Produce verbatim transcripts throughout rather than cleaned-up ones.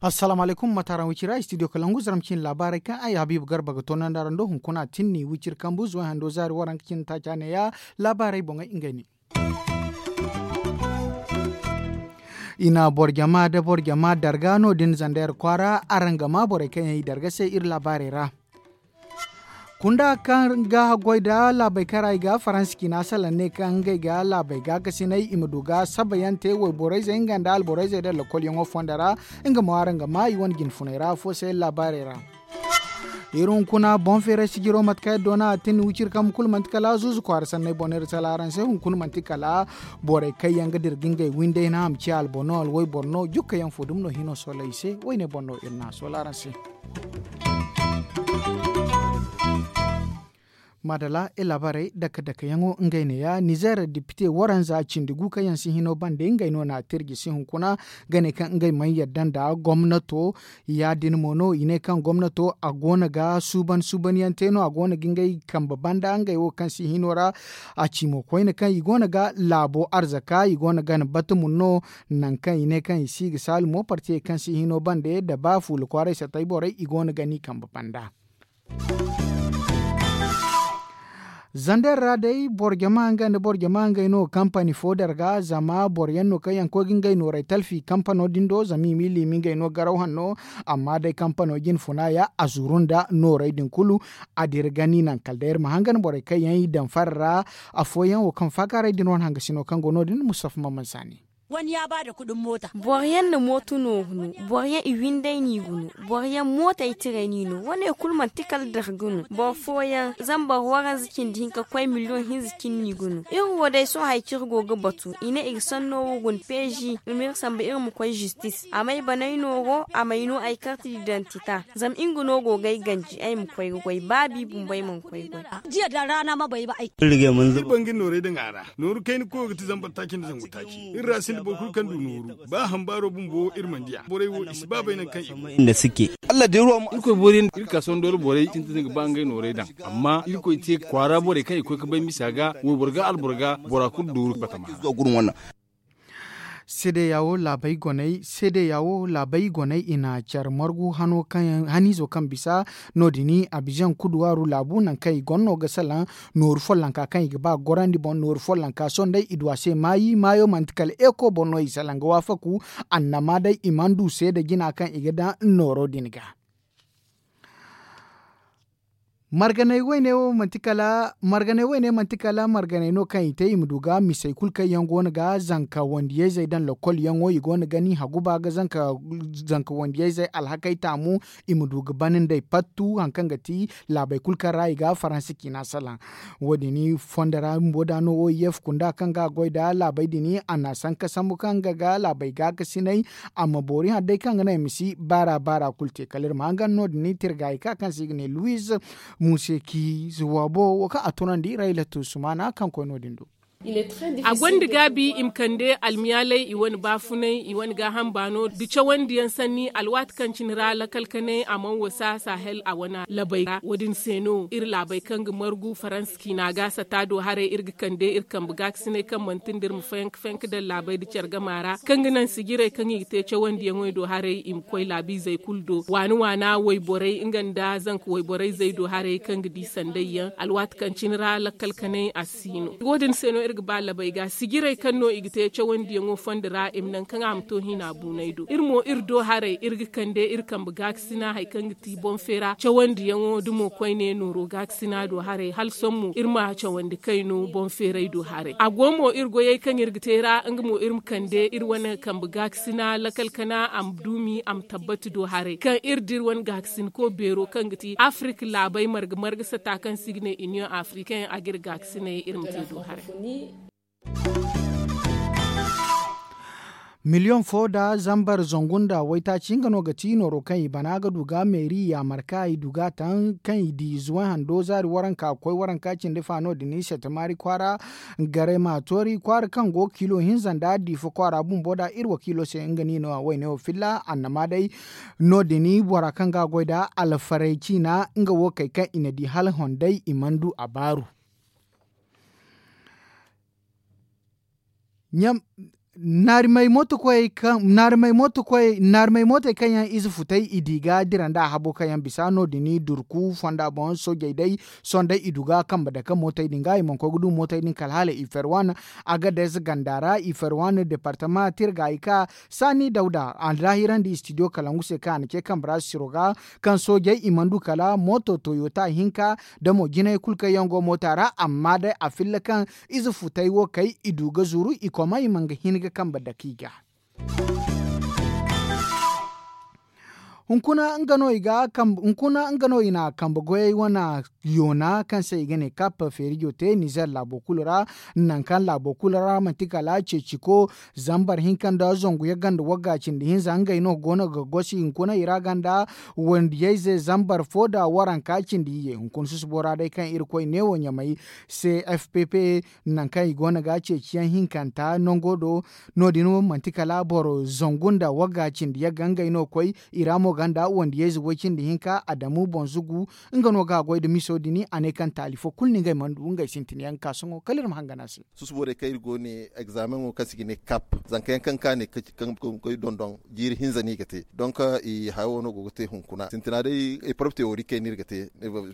Assalaamu alaykum, mate araŋ wicira studio kalangu zarma cine laabaarey kaŋ ay habiibu garba ga toonandi araŋ do hunkuna tinni wiciri kambu zuway hando zaari waranka cine taaca neeya. Laabaarey boŋey ngey ne. I na boro jama nda boro jama darga no- din zandeer kwaara araŋ ga maa borey kaŋ yaŋ i darga se iri laabaarey ra. Kunda kaŋ ga haggoy nda laabey kaŋ ra i ga faransa ciina salaŋ ne kaŋ ngey ga laabey gaakasinay i ma du ga sabayaŋ te wayborey zey nga nda alborey zey nda lakolyaŋo fonda ra. Nga mo araŋ ga maa i wane jinfuney ra afo se laabaarey ra. Iri hunkuna boŋ feeray sijiro mate kaŋ iri doona a tin wiciri kambe kulu manti kala zuuzu kwaara sanney boŋ no iri sala araŋ se hunkuna manti kala borey kaŋ yaŋ ga dira ga ngey windey no a ma ciya alboro no alwayboro no jukka yaŋ fo dumi no hino soola i se. Woyne boŋ no iri na a soola araŋ se. Maadala iri laabaarey dake dake yaŋo ngey neeya nizeer depite waranza cindi gu kaŋ yaŋ si hino bande ngey no na tirji si hunkuna ga ne kaŋ ngey mana yadda nda gomnato. Ya- din mo no i ne kaŋ gomnato a go no ga suuban suuban yaŋ te no a go no ga ngey kambe banda ngey wo kaŋ si hino ra. A ci mo koyne kaŋ i go no ga laabo arzaka i go no ga ni batumun no. Nangu kaŋ i ne kaŋ i si ga saalu mo partiyey kaŋ si hino bande nda ba fuula kwaaray satay borey i go no ga ni kambe banda. Zander ra day boro jama nga nda boro jama ngey no kampani fo darga zama boro yaŋ no kaŋ yaŋ koy ga ngey nooray talfi kampano din do zama i ma i liimi ngey no garaw hanno. Amma day kampano jine funa ya a zuru nda nooray din kulu. A dira gani naŋ kala day iri ma hangan borey kaŋ yaŋ i daŋ fara ra afooyaŋ wo kaŋ faakaaray din wane hangasino kaŋ go no- din mustafa mamman saani. Boro yaŋ na mooto no ga no. Boro yaŋ i winday no i ga no. Boro yaŋ mootey tiray no i no wane kulu manti kala dira ga no boro fooyaŋ zama boro waranza cindi hinka koy miliyoŋ hinza cine no i ga no. Iri wo day sohõ hari kaŋ iri go ga batu i ne i ga sanno wo guna peezi i ma iri samba iri ma koy zistis a may banay nooro a may no ay karti didantita. Zama nga no go ga ay ganji ay ma koy ga goy ba bi bumbo ay mana koy ga goy. Iri banga nooray daŋ a ra. Nooru kayna koyo ga ti zambar taaci nda zangu taaci iri ra sinda boro kulu kaŋ du nooru. Ba hambaaro bumbo iri mana diya borey wo i si ba bay nangu kaŋ i go. Irkoy boori yaŋ iri ka sohõ doole borey sintin ga ba ngey nooray daŋ. Amma irkoy te kwaara borey kaŋ i koy ga bay misa ga wayboro ga alboro ga bora kulu dooru batama ra. Seedeya wo laabey goney seedeya wo laabey goney i na care margu hano kaŋ haniizo kaŋ bisa no- din abizaŋ kuduwaaru laabu nangu kaŋ i goro no ga salaŋ. Nooru follonka kaŋ i ga ba ga gorandi boŋ nooru follonka sohõ day i du a se maayi maayo manti kala eeko boŋ no i salaŋ ga waafaku. Annama day i mana du seeda jina kaŋ i ga daŋ nooro din ga. Marganay wayne wo manti kala marganay wayne manti kala marganay no kaŋ i te i ma du ga misey kulu kaŋ yaŋ go no ga zanka wandiyayzey daŋ lokol yaŋo i go no ga ni haguba ga zanka wandiyayzey alhakey taamu. I ma du ga ban nd'ey pattu hari kaŋ ga ti laabey kulu kaŋ ra i ga faransa ciina salaŋ. Wo- din fondo ra bumbo da no o i f kunda kaŋ ga a goy nda laabey din a na sanka sambu kaŋ ga ga laabey gaakasinay. Amma boori hari day kaŋ ga naŋ i ma si baara baara kulu te kala iri ma hangan no- din tirgaayi ka kaŋ se i ga ne luwiz museki zuwabo wo kaŋ a tunandi rayla tuusumaana kaŋ koy no- din do. A gonda gaabi i ma kande almiyaaley i wane baafunay i wane gaaham baano nda cawandiyaŋ sanni alwaati kaŋ cine ra lakal kanay a mana wasa sahel a wane labey ra wo- din se no iri laabey kaŋ ga margu faransa ciina ga sata do haray iri ga kande iri kambe gaakasinay kaŋ manti nda iri ma fayanka fayanka daŋ laabey nda care gama ra kaŋ ga naŋ sijirey kaŋ i ga te cawandiyaŋey do haray i ma koy laabiizey kulu do waana waana wayborey nga nda zanka wayborayzey do haray kaŋ ga di sandayyaŋ alwaati kaŋ cine ra lakkal kanay a si no. Wo- din se no iri ga ba labey ga sijirey kaŋ no i ga te cawandiyaŋo fondo ra i ma naŋ kaŋ a ma to hina buunay do iri mo iri do haray iri ga kande iri kambe gaakasina hari kaŋ ga ti boŋ feera cawandiyaŋo da mo koyne nooro gaakasina do haray hala sohõ mo iri ma cawandi kayno boŋ feeray do haray a go mo iri goyey kaŋ iri ga te ra nga mo iri ma kande iri wane kambe gaakasina lakal kana a ma duumi a ma tabbati do haray kaŋ iri da iri wane gaakasinko beero kaŋ ga ti afirika laabey marga marga sata kaŋ se i ga ne iniyoŋ afirikaŋ a ga iri gaakasinay iri ma te do haray. Miliyoŋ fo nda zambar zangu nda waytaaci nga no ga ti nooro kaŋ i bana ga du ga meeri yaamar ka i du ga taŋ kaŋ i di zuway hando zaari waranka ga koy waranka cindi fa no- din i sette maari kwaara. Garay ma toori kwaara kaŋ go ga kiilo hinza nda diifa kwaara bumbo nda iri wakiilo se nga no i no a wayne wo filla annama day. No- din bora kaŋ ga a goy nda alfaray ciina nga wo kay kaŋ i na di hala honday i mana du a baaru. Naarimey mootey kaŋ yaŋ ize futey i di ga dira nda a habo kaŋ yaŋ bisa no- din durku fonda boŋ soojey day. Sohõ day i du ga kambe dake mootey din ga i mana koy ga du mootey din kala hala i ferwan. Agades ganda ra i ferwan departama tirga i ka saani dawda a daahirandi istidiyo kalangu se kaŋ a na ce kambe ra siro ga kaŋ soojey i mana du kala mooto toyota hinka da mo jinay kulu kaŋ yaŋ go moota ra amma day a filla kaŋ ize futey wo kay i du ga zuru i koma i mana ga hin ga kambe dake i ga. Hunkuna nga no i na kambe goyey wane yoona kaŋ se i ga ne kap feerijo te nizer laabo kulu ra. Nangu kaŋ laabo kulu ra manti kala ceeciko zambar hinka nda zangu yagga nda wagga cindi hinza ngey no go no ga gosi hunkuna i ra ganda wandiyayze zambar fo nda waranka cindi iyye hunkuna susubo ra day kaŋ irkoy neewo ɲamay cfpp nangu kaŋ i go no ga ceeciyaŋ hinkanta nango do. No- din manti kala boro zangu nda wagga cindi yagga ngey no koy i ra mo ganda wandiyayze way cindi hinka adamu boŋ zugu. Nga no ga a goy nda miso din a ne kaŋ taali fo kulu no ngey mana du ngey sintin yaŋ ga ka sohõ kala iri ma hangan a se. Susubo day kaŋ iri go ne egzameŋo kaŋ se i ga ne kap zanka yaŋ kaŋ ka ne kaŋ koy dondon jiiri hinza no i ga te donk i haya wo no go ga te hunkuna sintina day eprove teori kaŋ no iri ga te.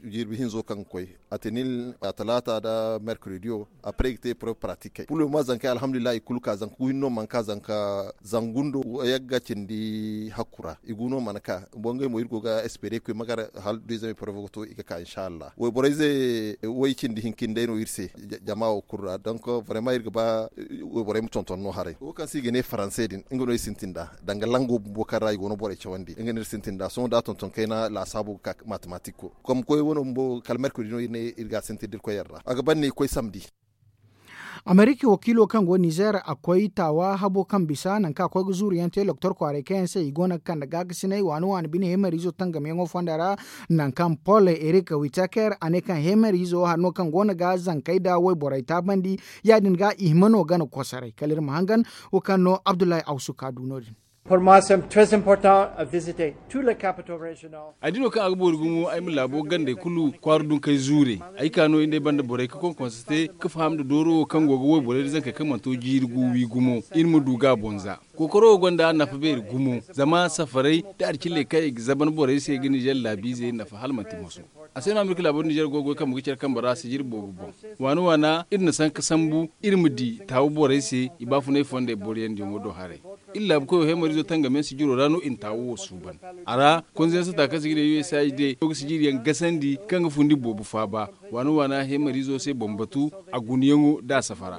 Jirbi hinzo kaŋ ga koy atenil a talaata nda merkrediyo. Apre i ga te eprove pratikey puloma zankey alhamdulillahi i kulu ka zanka gu hinne no mana ka zanka zangu nda yagga cindi hakku ra i gu no mana ka. Boro ngey mo iri go ga espere koy magar hala deuxième eprove ga to i ga ka inshallah wayborey ze way cindi hinka nda day no iri se. Jama wo kulu ra donk vraiment iri ga ba wayborey ma tonton no haray wo kaŋ se i ga ne faranse din nga no iri sintin nd'a danga lango bumbo kaŋ ra i go no borey cawandi nga no iri sintin nd'a sohõ da tonton kayna laasaabo ga ka matematik ko. Komkoy wane bumbo kala merkodi no iri ga a sintin da iri koy yaŋ ra a ga ban no i koy samdi. Amerika wakiilo kaŋ go nizer a koy taawa habo kaŋ bisa nangu kaŋ a koy ga zuuru yaŋ te loktor kwaaray kaŋ yaŋ se i go no ga kande gaakasinay waani waani bine heemariizo tangamyaŋo fonda ra. Nangu kaŋ pol erik witaker a ne kaŋ heemariizo hari no kaŋ go no ga zankey nda wayborey taabandi. Ya- din ga i hima no gana kosoray kala iri ma hangan wo kaŋ no abdullahi awsu ka du no- din. Ay di no kaŋ a ga boori gumo ay ma laabo gandey kulu kwaara dunkey zuure. Ay ka no iri n'ay banda borey ga konkonse te ga faham nda dooro wo kaŋ go ga wayborey nda zankey kaŋ mana to jiiri gu wi gumo iri ma du ga a boŋ za. Kookaro wo gonda nafa beeri gumo zama safarey nda alcilley kaŋ i ga zaban borey se ga nizer laabiizey nafa hala manti moso. A se no amerika laabo nizer go ga goy kambe ga care kambe ra sijiri boobo boŋ. Waana waana iri na sanka sambu iri ma di taawa borey se i baafunay fondey boro yaŋ diyaŋo do haray. Iri laabu koyo heemariizo tangam yaŋ sijiro ra no i na taawo wo suuban. A ra konze yaŋ sata kaŋ se ga ne usaid no ga sijiri yaŋ gasandi kaŋ ga fundi boobo faaba. Waana waana heemariizo se boŋ batu a gunayaŋo da a safara.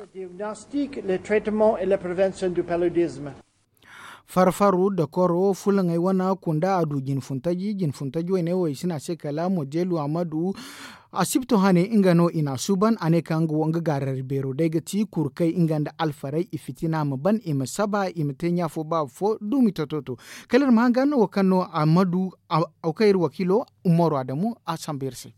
Farfaru da koro fulaŋey wane kunda a du jinfuntaji jinfuntaji wayne wo i si ne a se kala modelu amadu. Asibto hane nga no i n'a suuban a ne kaŋ nga wo nga gaarari beero day ga ti kurkey nga nda alfarey i fitina ma ban i ma saba i ma te ɲaafo baaba fo duumi tototo. Kala iri ma hangan wo kaŋ no amadu wo kaŋ iri wakiilo umaru adamu a sambu iri se.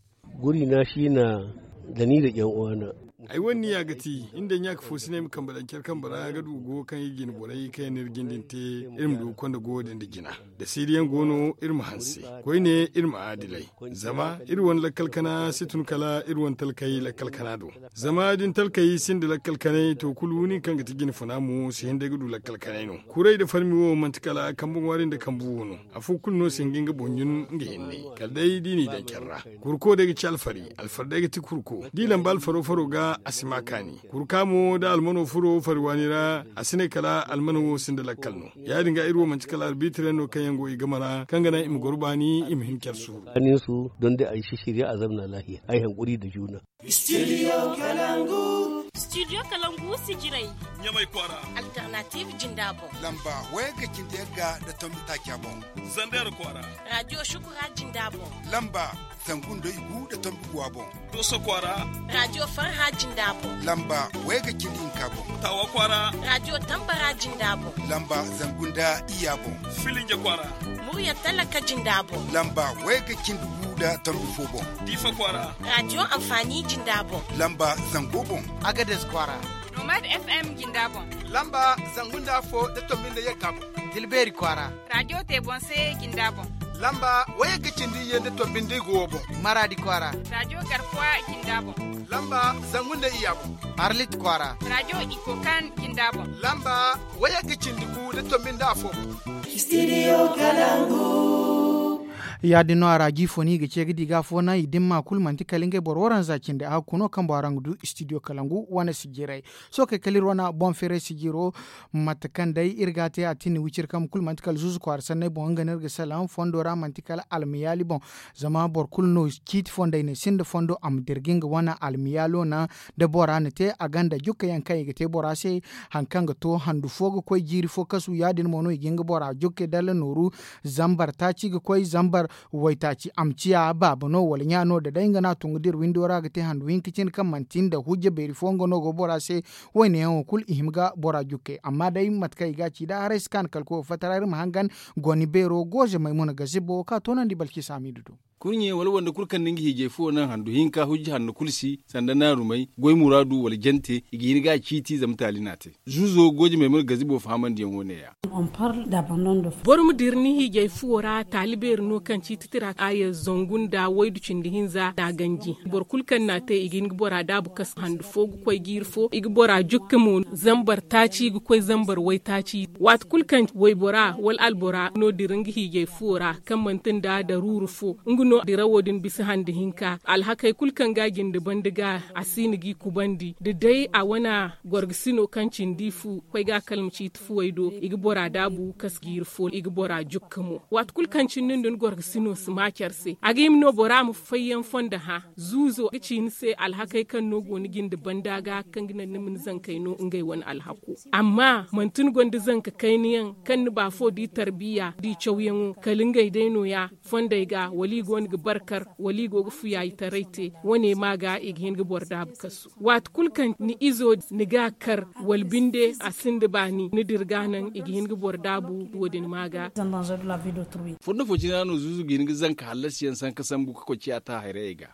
Guri na si na da ni da ƴan uwana. Ay wane niya ga ti iri nda ɲaaka fo si ne ay ma kambe daŋ care kambe ra ga du go kaŋ iri jine borey kaŋ yaŋ no iri jinde nda te iri ma du ga konda goyo din nda jina. Da siiriyaŋ go no iri ma hanse koyne iri ma aadilay. Zama iri wane lakkal kana si tun kala iri wane talkey lakkal kana do. Zama da ni talkey sinda lakkal kanay to kulu nin kaŋ ga ti jine funa mo si hin day ga du lakkal kanay no. Kuray nda farmi wo manti kala kambe ŋwaari nda kambe wo no. Afo kulu no si hin ga nga boŋ ɲun nga hinne kala day da i n'i daŋ care ra. Kurko day ga ci alfari. Alfari day ga ti kurko da i lamba alfaro faro ga a si ma kaani. Kurka mo da almano furo fari waani ra a si ne kala almano wo sinda lakkal no. Ya- din ga iri wo manti kala arbitiraŋ no kaŋ yaŋ go i game ra kaŋ ga naŋ i ma goro baani i ma hin care suuru. Kaninsu don da ay si shirya a zamna lahiya ay hankuri da juna. Studio kalangu. Studio kalangu sijiray. Ɲamay kwaara. Alternative jinda boŋ. Lamba wayagga cindi yagga da tombi taaca boŋ. Zander kwaara. Radio shukura jinda boŋ. Lamba. Zangu nda igu nda tombi guwa boŋ. Dooso kwaara. Raadiyo farha jinda boŋ. Lamba wayga cindi hinka boŋ. Taawa kwaara. Raadiyo tambara jinda boŋ. Lamba zangu nda iyya boŋ. Filinja kwaara. Murya talaka jinda boŋ. Lamba wayga cindi gu nda tombi fo boŋ. Diifa kwaara. Raadiyo anfaani jinda boŋ. Lamba zango boŋ. Agades kwaara. Nomad f m jinda boŋ. Lamba zangu nda afo nda tombi nda yagga boŋ. Tilbeeri kwaara. Raadiyo te boŋ se jinda boŋ. Lamba wayagga cindi iyye nda tombi nda igu wo boŋ. Maraadi kwaara. Raadiyo garkuwa jinda boŋ. Lamba zangu nda iyya boŋ. Arlit kwaara. Raadiyo ikokan jinda boŋ. Lamba wayagga cindi gu nda tombi nda afo boŋ. Studio kalangu. Ya- din no a ra jiifo no i ga ce ga di ga afo naŋ i dimma kulu manti kala ngey boro waranza cindi a hakku no kaŋ boro araŋ ga du studio kalangu wane sijirey. Sohõ kay kala iri wane boŋ feeray sijiro. Mate kaŋ day iri ga a te a tini wiciri kambe kulu manti kala zuuzu kwaara sanney boŋ nga no iri ga salaŋ fondo ra manti kala almiyaali boŋ. Zama boro kulu no ciiti fondey ne sinda fondo a ma dirga nga wane almiyaalo naŋ. Da bora na te a gonda jukka yaŋ kaŋ i ga te bora se. Hari kaŋ ga to handu fo ga koy jiiri fo kasu ya- din mo no i ga hin ga bora jukkey dalla nooru. Zambar taaci ga koy zambar waytaaci a ma ciya baaba no wala ɲa no da day nga no a tun ga dira windo ra ga te handu hinka cine kaŋ manti nda hujja beeri fo nga no go bora se. Wayne yaŋo kulu i hima ga bora jukkey amma day mate kaŋ i ga a ci da haray si kaanu kala koyo fattaray iri ma hangan. Goni beero gooze maymuna gazibo ka toonandi balki saamidu do. Kurɲe wala wande kulu kaŋ na nga hiijay fuwo naŋ handu hinka hujja hanno kulu si sanda naarumey goy muraadu wala jante i ga hin ga a ciiti zama taali n'a te. Zuuzo gooje maymuna gazibo fahamandiyaŋo neeya. Boro ma dira ni hiijay fuwo ra taali beeri no kaŋ ciiti tira aya zangu nda waydu cindi hinza nda a ganji. Boro kulu kaŋ n'a te i ga hin ga bora daabu kasu handu fo ga koy jiiri fo i ga bora jukka mo zambar taaci ga koy zambar waytaaci. Waati kulu kaŋ waybora wala albora no dira nga hiijay fuwo ra kaŋ manti nda daruuru fo nga no dirawo din bisa handi hinka alhakey kulu kaŋ ga a jinde banda ga a si no g'i kubandi da day a wane gorgasino kaŋ cindi fu koy ga a kalma ciiti fuwey do i ga bora daabu kasu jiiri fo i ga bora jukka mo. Waati kulu kaŋ cindi nda ni gorgasino si ma care se a ga hima no bora ma fayyaŋ fondo hã. Zuuzo ga ci ni se alhakey kaŋ no go ni jinde banda ga kaŋ ga naŋ ni ma ni zankey no ngey wane alhako. Amma manti ni gonda zanka kayna yaŋ kaŋ ni baafo di tarbiya di cawyaŋo kala ngey day nooya. Fondey ga wala i go no ga barkar wala i go ga fuyaayitaray te wane ma ga i ga hin ga boro daabu kasu. Waati kulu kaŋ ni izo ni ga a kar wala binde a sinda baani ni dira ga naŋ i ga hin ga boro daabu wo- din ma ga. Fondo fo cine ra no zuuzu ga hin ga zanka hallasiyaŋ sanka sambu ga koy ciya ta hayrayey ga.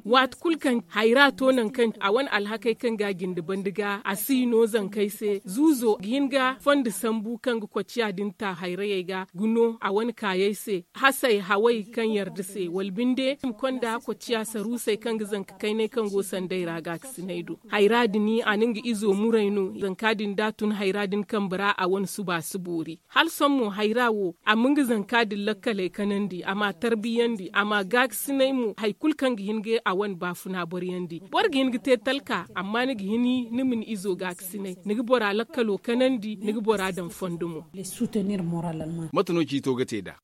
Waati kulu kaŋ hayra to nangu kaŋ a wane alhakey kaŋ ga a jinde banda ga a si no zankey se zuuzo ga hin ga fondo sambu kaŋ ga koy ciya din ta hayrayey ga ga no a wane kaayey se hasey hawey kaŋ yarda se wala binde i ma konda koy ciya saruusey kaŋ ga zanka kaynay kaŋ go sanday ra gaakasinay do. Hayra din a na nga izo muray no zanka din da a tun hayra din kambe ra a wane suba si boori. Hala sohõ mo hayra wo a ma nga zanka din lakkaley kanandi a m'a tarbiyandi a m'a gaakasinay mo hari kulu kaŋ ga hin ga a wane baafuna boryandi boro ga hin ga te talka amma ni ga hini ni ma ni izo gaakasinay ni ga bora lakkalo kanandi ni ga bora daŋ fondo mo. Mate no ciito ga te nd'a?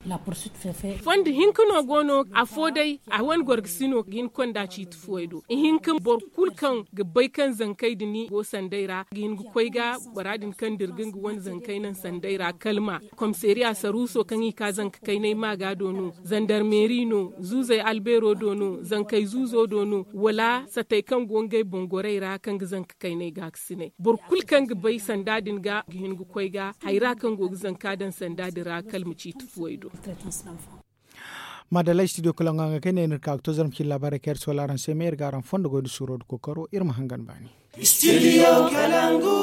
Fondo hinka no go no afo day a wane gorgasino ga hin ga konda ciiti fuwey do ihinka boro kulu kaŋ ga bay kaŋ zankey din go sanday ra ga hin ga koy ga bora din kaŋ dirga nga wane zankey naŋ sanday ra kalma komisariya saruuso kaŋ i ka zanka kaynay maaga do no zandarmeeri no zuuzey albeero do no zankey zuuzo do no wala satey kaŋ go ngey bongorey ra kaŋ ga zanka kaynay gaakasinay boro kulu kaŋ ga bay sanda din ga ga hin ga koy ga hayra kaŋ go ga zanka daŋ sanda din ra kala ma ciiti fuwey do. Madalla studio kalangu haŋ ga kay ne ni ga ka ga to zarma cine laabaarey kaŋ iri soola araŋ se me iri ga araŋ fondo goy nda suuro nda kookaro iri ma hangan baani. Studio kalangu.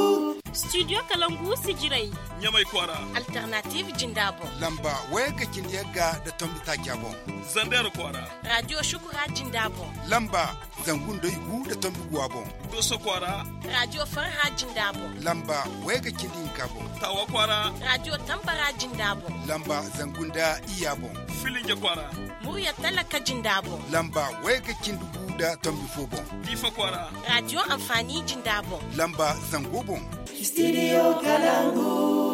Studio kalangu sijirey. Ɲamay kwaara. Alternative jinda boŋ. Lamba wayagga cindi yagga nda tombi taaca boŋ. Zandar kwaara. Radio shukura jinda boŋ. Lamba zangu nda igu nda tombi guwa boŋ. Dooso kwaara. Radio farha jinda boŋ. Lamba wayagga cindi hinka boŋ. Taawa kwaara. Radio tambara jinda boŋ. Lamba zangu nda iyya boŋ. Filinja kwaara. Murya talaka jinda boŋ. Lamba wayagga cindi gu nda tombi fo boŋ. Diifa kwaara. Radio anfaani jinda boŋ. Lamba zango boŋ. Studio kalangu.